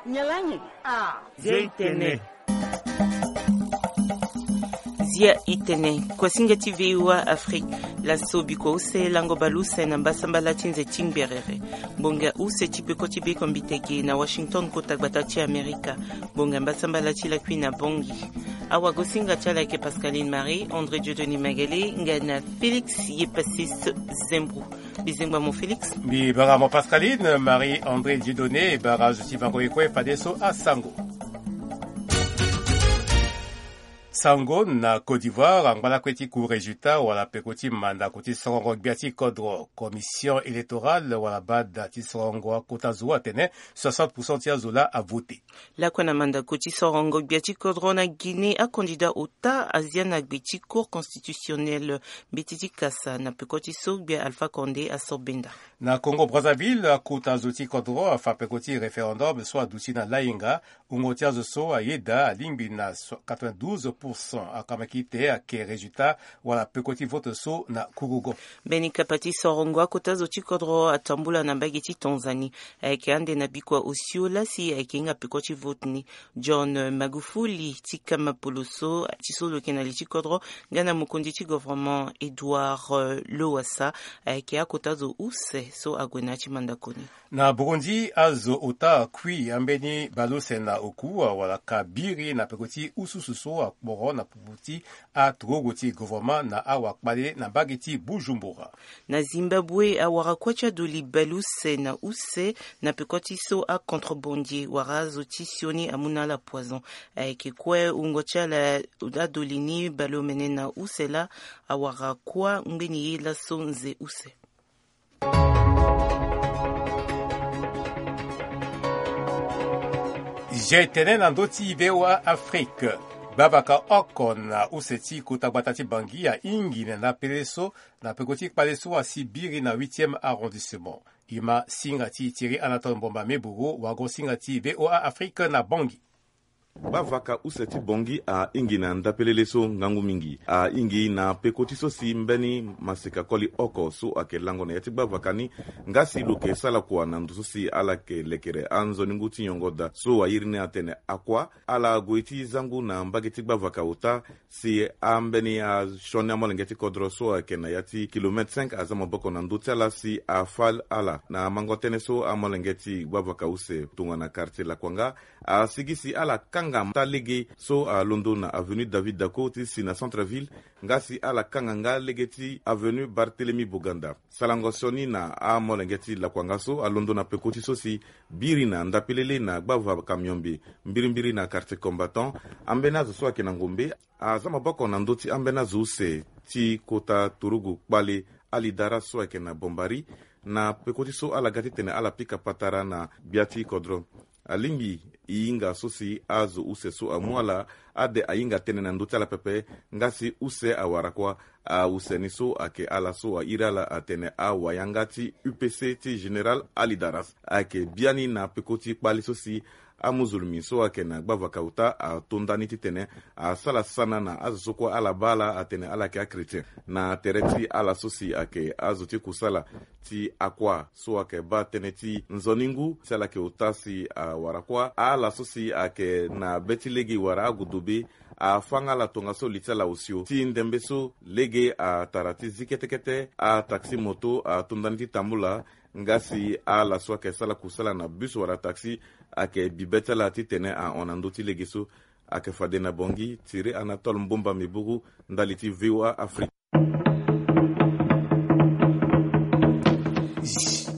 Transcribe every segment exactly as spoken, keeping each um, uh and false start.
Nyalangi. Ah. Zia itene. Zia itene. Kuasinga ti VOA Afrique. Laso bikua use lango baleuse na mbasambala ti nze ti ngberere. Ngbonga use ti peko ti beko mbitege na Washington, kota gbata ti Amerika. Ngbonga mbasambala ti lakui na Bangui. Awagosinga ti ala ayeke Pascaline Marie, André Dieudonné Magale nga na Félix Yepassis Zembro. Bizengba mo Félix. Mbi bara mo Pascaline Marie André Dieudonné, bara zo ti bango ye kue fadeso asango. Sango na Côte d'Ivoire, angba lakue ti ku résultat wala peko ti mandako ti sorongo gbia ti kodro. Commission électorale wala bada ti sorongo akota zo atene soixante pour cent ti azo laa avote. Lakue na mandako ti sorongo gbia ti kodro na Guinée, acandidat ota azia na gbe ti Cour constitutionnelle mbeti ti kasa na peko ti so gbia Alpha Condé aso benda. Na Congo Brazzaville, akota zo ti kodro afa peko ti référendum so aduti na lainga. Wungo ti azo so ayeda alingbi na so-, quatre-vingt-douze pour cent. Akamaki te ake résultat wala peko ti vote so na kurugo. Mbeni kapa ti sorongo akota zo ti kodro atambula na mbage ti Tanzanie. Ayeke ande na bikua osio laa si ayeke hinga peko ti vote ni. John Magufuli ti kama poloso ti so lo yeke na li ti kodro nga na mokonzi ti gouvernement Edouard, euh, Lowassa, ayeke akota zo use so ague na ya ti mandako ni. Na Burundi, azo ota akui ambeni baleuse na oku wala ka biri na peko ti ususu so akporo na pupu ti aturugu ti gouvernement na awakpale na mbage ti Bujumbura. Na Zimbabwe, awara kuâ ti adoli baleuse na use na peko ti so acontrebandier wala azo ti sioni amu na ala poison. Ayeke kue wungo ti ala adoli ni baleomene na use laa awara kuâ ngbeni ye laso nze use. Zia itene na ndö ti VOA Afrique. Gbavaka oko na use ti kota gbata ti Bangui ahingi na ndapele so na peko ti kpale so asi biri na huitième arrondissement. E ma singa ti Thierry Anatole Mbomba Meburu, wago singa ti VOA Afrique na Bangui. Gbavaka use ti Bangui ahingi na ndapelele so ngangu mingi. Ahingi na peko ti so si mbeni maseka koli oko so ayeke lango na ya ti gbavaka ni. Nga si lo yeke sara kua na ndo so si ala yeke lekere anzoni ngu ti nyongo daa so airi ni atene akua, ala gue ti zangu na mbage ti gbavaka ota, si ambeni asioni amolenge ti kodro so ayeke na ya ti kilomètre cinq aza maboko na ndö ti ala si afa ala na mango tënë so amolenge ti gbavaka use tongana quartier Lakuanga. Asigi si ala kanga taa lege so alondo na avenue David Daco ti si na centre ville, nga si ala kanga nga lege ti avenue Barthélemy Boganda. Sarango sioni na amolenge ti Lakuanga so alondo na peko ti so si biri na ndapelele na gbavaka miombe mbirimbiri na quartier Combattant. Ambeni azo so ayeke na ngombe aza maboko na ndö ti ambeni azo use ti kota turugu kpale alidara so ayeke na Bombari, na peko ti so ala ga titene ala pika patara na gbia ti kodro. Alingbi e hinga so si azo use so amu ala ade ahinga tënë na ndö ti ala pepe, nga si use awara kua. Ause ni so ayeke ala so airi ala atene awayanga ti U P C ti général Alidaras ayeke biani na peko ti kpale so si amuzulmi so ayeke na gbavaka ota ato ndani titene asara sana na azo so kue ala baa ala atene ala yeke achrétien. Na tere ti ala so si ayeke azo ti kusala ti akua so ayeke baa tënë ti nzoni ngu si ala yeke ota si awara kua, ala so si ayeke na be ti lege wala agudu be, afanga ala tongaso li ti ala osio ti ndembe so lege atara ti zi kete kete ataxi moto ato ndani ti tambula. Nga si ala so ayeke sara kusala na bus wala taxi ayeke bi be ti ala titene ahon na ndö ti lege so. Ayeke fade na Bangui, Thierry Anatole Mbomba Meburu, ndali ti VOA Afrique.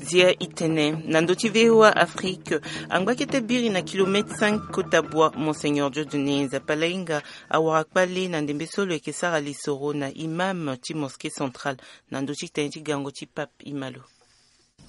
Zia itene na ndö ti VOA Afrique. Angba kete biri na kilomètre cinq kota bua, Monseigneur Dieudonné Nzapa Lainga awara kpale na ndembe so lo yeke sara lisoro na imam ti mosquée centrale na ndö ti tënë ti gango ti Pape Imalo.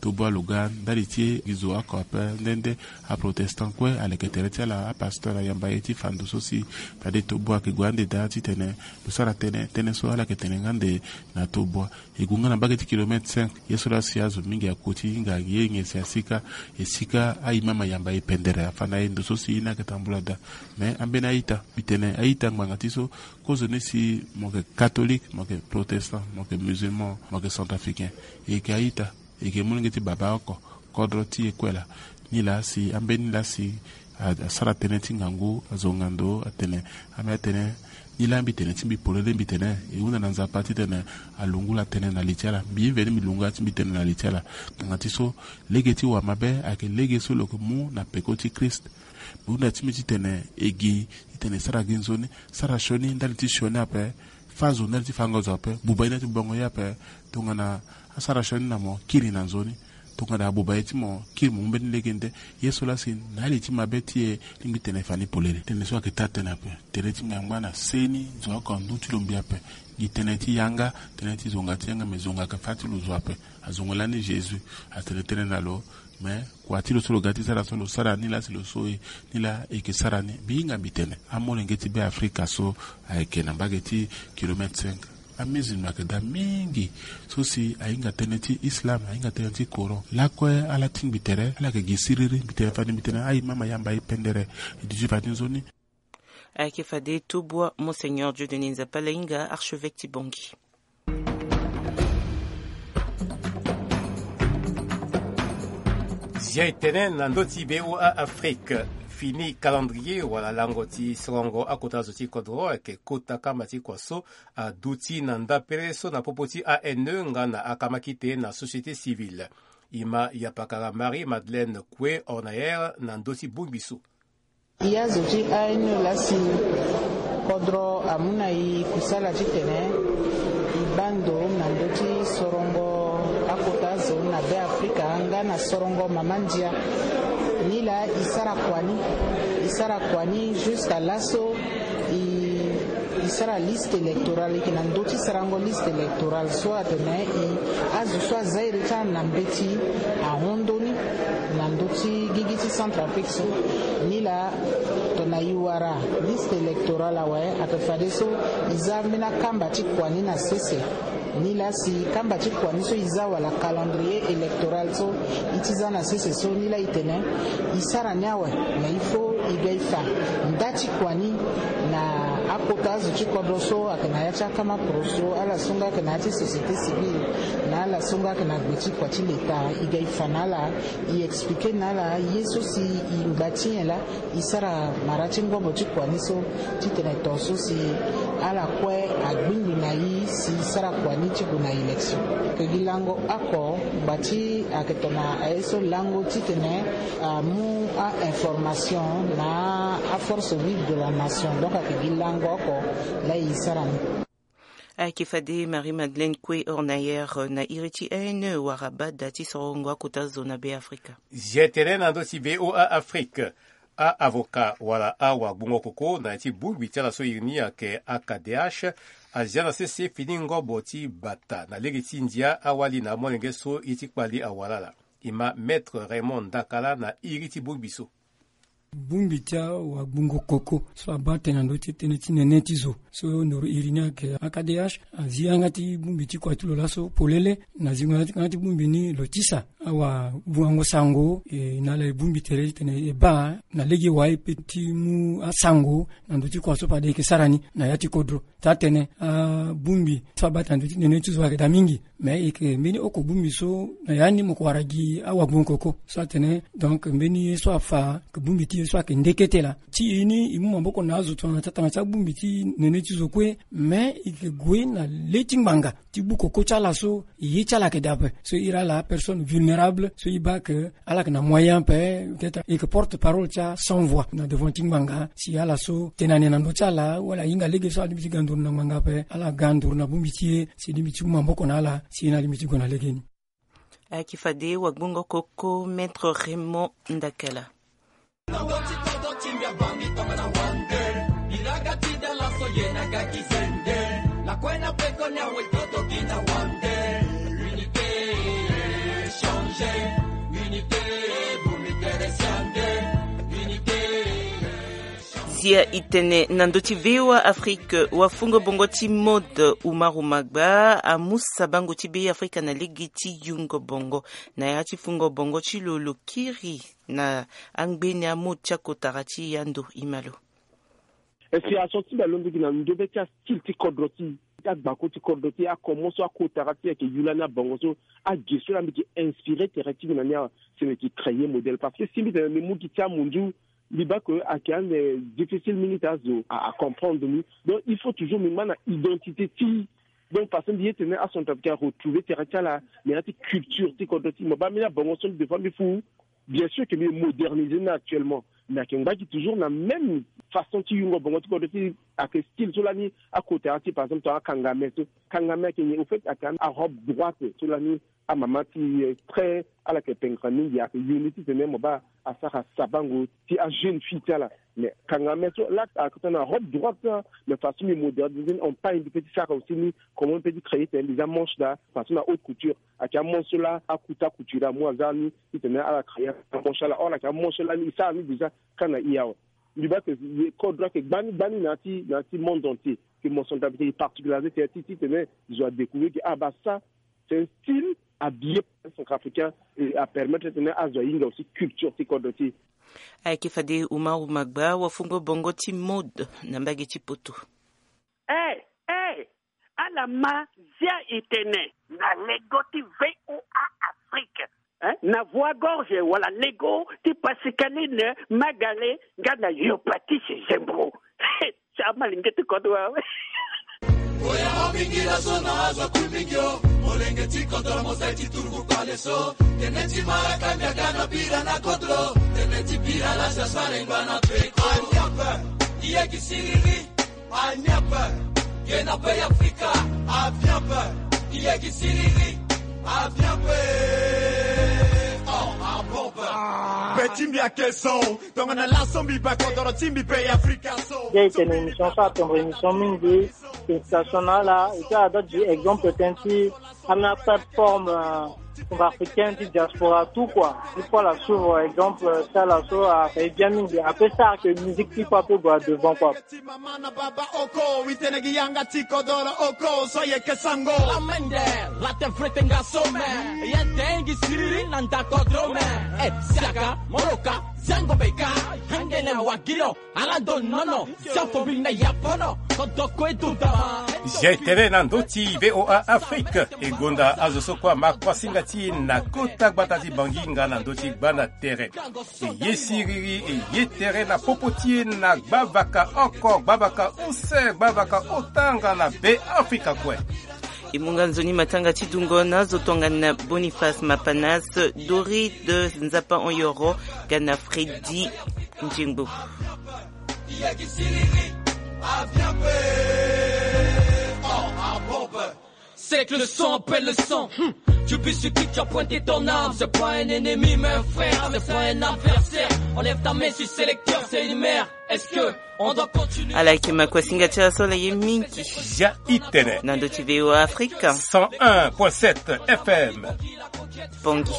Tobo aloga ndali ti e gi zo oko ape nde nde aprotestant kue aleke tere ti ala apasteur ayamba ye ti fa ndo so si fade tobo ayeke gue ande daa titene lo sara tënë, tënë so ala yeke tene nga ande na tobo. E gue nga na mbage ti kilomètre cinq, ye so laa si azo mingi akoti hinga ye nyen si asika, e sika aimam ayamba e pendere afa na e ndo so si ye ni ayeke tambula daa. Me ambeni a-ita, mbi tene a-ita ngbanga ti so kozoni si mo yeke catholique, mo yeke protestant, mo yeke musulman, mo yeke centrafricain, e yeke a-ita. E yeke molenge ti baba oko, kodro ti e kue laa. Nilaa si ambeni laa si asara tënë ti ngangu, azonga ndo atene, ambeni atene, nilaa mbi tene ti mbi polele, mbi tene e hunda na Nzapa titene alungu ala tënë na li ti ala. Mbi mveni mbi lungu ala ti mbi tënë na li ti ala. Ngbanga ti so lege ti wamabe ayeke lege so lo yeke mu na peko ti Christ. Mbi hunda ti mbi titene e gi titene e sara gi nzoni, sara sioni ndali ti sioni ape, fâ zo ndali ti fango zo ape, buba ye ndali ti bongo ye ape. Tongana asara sioni na mo, kiri na nzoni. Tongana abuba ye ti mo, kiri mo mu mbeni lege nde. Ye so laa si na ali ti mabe ti e, lingbi tene fani polele. Tënë so ayeke taa tënë ape. Tere ti mbi angba na seni zo oko andu ti lo mbi ape. Gi tënë ti yanga, tënë ti zonga ti yanga, me zonga ayeke fâ ti lo zo ape. Azongo lani Jésus atene tënë na lo. Me kua ti lo so lo ga ti sara so lo sara ni laa si lo so e, ni laa e yeke sara ni. Mbi hinga mbi tene amolenge ti Be Afrika so ayeke na mbage ti kilomètre cinq, amusulman ayeke daa mingi. So si ahinga tënë ti Islam, ahinga tënë ti Coran, lakue ala tingbi tere, ala yeke gi siriri. Mbi tene fade mbi tene aye mama yamba ye pendere. E duti fade nzoni. Ayeke fade tobua Monseigneur Dieudonné Nzapa Lahinga, archevêque ti Bangui. Zia e tene na ndö ti V O A Afrique. Fini calendrier wala lango ti sorongo akota zo ti kodro ayeke kota kamba ti kua so aduti na ndapere so na popo ti A N E nga na akamakite na société civile. E ma yapakara Marie Madeleine Kue Ornaer na ndö ti bongbi so. E azo ti A N E laa si kodro amu na e kusala titene e baa ndo na ndö ti sorongo akota zo na Be Afrika nga na sorongo mama ndia. Ni laa e sara kua ni, e sara kua ni jusqu'à laso e e sara liste électorale, e yeke na ndö ti sarango liste électorale so atene e azo so aza iri ti ala na mbeti ahon ndö ni na ndö ti gigi ti Centrafrique so. Ni laa tongana e wara liste électorale awe, ayeke fadeso e za ambeni akamba ti kua ni na sese. Ni laa si kamba ti kua ni so e za wala calendrier électoral so e ti za na sese so, ni laa e tene e sara ni awe. Mais il faut e ga e fa nda ti kua ni na akota azo ti kodro so ayeke na ya ti akama poroso, ala so nga ayeke na ya ti société civile, na ala so nga ayeke na gbe ti kua ti leta. E ga e fa na ala, e expliquer na ala ye so si e ngba ti nyen laa e sara mara ti ngobo ti kua ni so, titene tongaso si ala kue agbingbi na e si e sara kua ni ti gue na élection. Ayeke gi lango oko ngba ti ayeke tongana aye so lango titene amu a-information na aforce vive de la nation. Donc ayeke gi lango oko laa e sara ni. Ayeke fade Marie Madeleine Kue Ornaer na iri ti A N E wara bada ti sorongo akota zo na Be Afrika. Zia e tene na ndö ti V O A Afrique. A-avocat wala awagbongo koko na ya ti bongbi ti ala so iri ni ayeke A K D H azia na sese fini ngobo ti bata na lege ti ndia awali na amolenge so ye ti kpali awara ala. E ma Maître Raymond Ndakala na iri ti bongbi so. Bongbi ti awagbongo koko so abaa tënë na ndö ti tënë ti nene ti zo so ndoro iri ni ayeke A K D H. Azi yanga ti bongbi ti kua ti lo laso polele. Na zingo yanga ti bongbi ni lo tisa awagbongo sango, e na ala e bongbi tere titene e baa na lege wai pe ti mu asango na ndö ti kua so fade e yeke sara ni na ya ti kodro. Taa-tënë, abongbi so abaa tënë na ndö ti nene ti zo ayeke daa mingi. Mais e yeke mbeni oko bongbi so na ya ni mo ko wara gi awagbongo koko so atene. Donc mbeni ye so afa ayeke bongbi ti ye so ayeke nde kete laa. Ti e ni e mu maboko na azo tongana ti atanga ti abongbi ti nene ti zo kue. Mais e yeke gue na le ti ngbanga ti gbu koko ti ala so e ye ti ala ayeke daa ape. So iri ala personne vulnérable so e baa ke ala yeke na moyen ape, peut-être e yeke porte parole ti a sans voix na devant ti ngbanga. Si ala so tene ane na ndö ti ala wala ahinga lege so ala lingbi ti ga nduru na ngbanga ape, ala ga nduru na bongbi ti e si e lingbi ti mu maboko na ala si e na lingbi ti gue na legeni. Ayeke fade wagbongo koko Maître Raymond Ndakala. Zia e tene na ndö ti V O A Afrique, wafungo bongo ti mode Umaru Magba amu sabango ti Be Afrika na lege ti yungo bongo. Na ya ti fungo bongo ti lo, lo kiri na angbeni amode ti akotara ti ya ndo. E ma lo. E si aso ti mbi alondo gi na ndö be ti astyle ti kodro ti Ti agbako ti kodro ti e, akomo so akotara ti e ayeke yu lani abongo so, ague so laa mbi yeke inspiré tere ti mbi na ni awe. Si mbi yeke créer modèle parce que si mbi tene mbi mu gi ti amunzu, mbi baa que ayeke ande difficile mingi ti azo a, acomprendre ni. Donc il faut toujours mbi ma na identité ti. Donc façon mbi ye tene acentrafricain aretrouver tere ti ala, mais na ya ti culture ti kodro ti mo baa mbi ni abongo so mbi defois mbi fu. Bien sûr que mbi moderniser ni actuellement, mais ayeke ngba gi toujours na même façon ti yungo bongo ti kodro ti. Ayeke style so lani akotara ti par exemple tongana akangame so. Kangame ayeke nyen? Au fait ayeke arobe droite so lani amama ti, eh, très ala yeke pengre mingi, ayeke yu ni titene mo baa asara sabango ti ajeune fille ti ala. Mais kangame so laa ayeke tongana robe droite, mais façon mbi moderniser ni, on pagne mbi pe ti sara aussi ni comment mbi pe ti créer tene mbi za manche laa façon na haute couture. Ayeke amanche so laa akuta couture amu aza ni titene ala créer amanche ala, or ayeke amanche so lani e sara ni déjà ka na e awe. Mbi baa que kodro ayeke gbani gbani na ya ti, na ya ti monde entier. Que mo centrafricain e particularisé tene ti titene zo adécouvrir que ah bah ça c'est un style habillé par un centrafricain et apermettre titene azo ahinga aussi culture ti kodro ti e. Ayeke fade Umaru Magba wafungo bongo ti mode na mbage ti poto. Eh, eh, ala ma zia e tene na lego ti V O A Afrique, eh, na voie gorge wala lego ti Pascaline Magale nga na Yopatise Zembro. Ti amalenge ti kodro awe. Oya obingila so na azo akui mingi o. Molenge ti kodro mosai ti turugu pale so. Tene ti mara kambia ga na bira na kodro. Tene ti bira la sasare ngba na peko. Aniapa, iye ki siriri. Aniapa, ke na pe Afrika. Aviapa, iye ki siriri. Aviapa, oh, abomba. Be ti mbi ake son. Tongana laso mbi baa kodoro ti mbi be Afrika so. Nde e tene émission so atondro émission mingi. Station na ala et puis ada gi exemple tënë ti ambeni aplateforme, euh, centrafricaine ti diaspora tout quoi. Il faut ala suivre exemple, euh, ti ala so ayeke bien mingi. Ape sara que musique ti e ape gue devant quoi. Ti mama na baba oko, wi tene gi yanga ti kodoro oko so yeke sango. Lamende, late frete nga some. Ye tengi siriri na nda kodro me. Eh, siaka, moloka, zango beka, hangene wagilo. Ala ndo nono, siafo bi na yapono, kodoko e ndo dama. Zia e tere na ndö ti V O A Afrique, e gonda azo so kue ama kuasinga ti e na kota gbata ti Bangui nga na ndö ti gbanda tere. E ye siriri, e ye tere na popo ti e na gbavaka oko, gbavaka use, gbavaka ota nga na Be Afrika kue. E mu nga nzoni matanga ti dungo na azo tongana Boniface Mapanas, Dorit Nzapa Onyoro, nga na Freddy Nzengbo. C'est que le sang appelle le sang. Hmm. Tu biscuit, tu as pointé ton arme. C'est pas un ennemi, mais un frère. C'est pas un adversaire. Enlève ta main sur sélecteur, c'est une mère. Est-ce que on doit continuer? Ala yeke ma kuasinga ti ala so ala ye mingi. Zia e tene. Na ndö ti V O A Afrique. Cent un point sept F M. Bongi.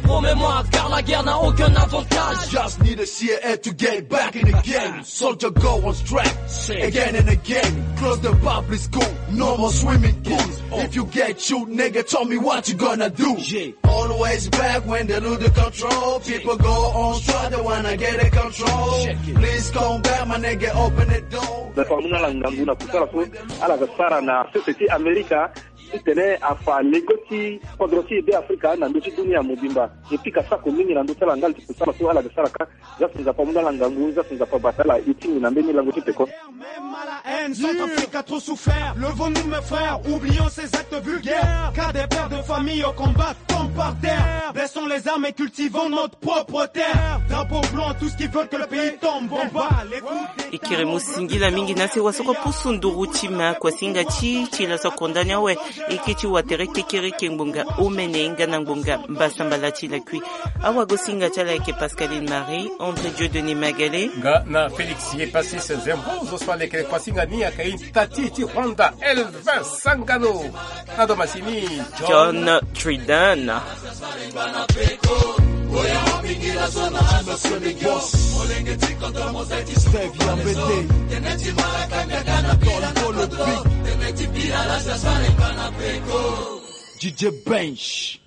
Promets-moi, car la guerre n'a aucun avantage. Just need a C I A to get back in the game. Soldier go on strike again and again. Close the public school, no more swimming pools. If you get shoot, nigga, tell me what you gonna do. Yeah. Always back when they lose the control. People go on strike, they wanna get a control. Please come back, my nigga, open the door. Bato amû na ala ngangu na kusala so ala ga sara na sese ti Amerika. Titene afa lego ti kodro ti e Be Afrika na ndö ti dunia mobimba. E pika sako mingi na ndö ti ala ndali ti kusala so ala ga sara ka. Za si Nzapa amû na ala ngangu, za si Nzapa abata ala. E tingbi na mbeni lango ti peko. Même à la haine, Centrafrique a trop souffert. Levons-nous, mes frères, oublions ces actes vulgaires. Car des pères de famille au combat tombent par terre. Baissons les armes et cultivons notre propre terre. Drapeau blanc, tous qui veulent que le pays tombe. Bon, bah, les coups d'État. E kere mu singila mingi na se wasoko pusu nduru ti ma kuasinga ti ti laso akonda ni awe. E ke ti watere kekereke ngbonga omene nga na ngbonga mbasambala ti lakui. Awagosinga ti ala ayeke Pascaline Marie, André Dieudonné Magalé. Nga na Félix Yepassis Zembro, zo so aleke kuasinga ni ayeke Tati ti Rwanda, Elvin Sangano. Na domasini John Tridan. Steve Yambete. Don Polo Big. D J Bench.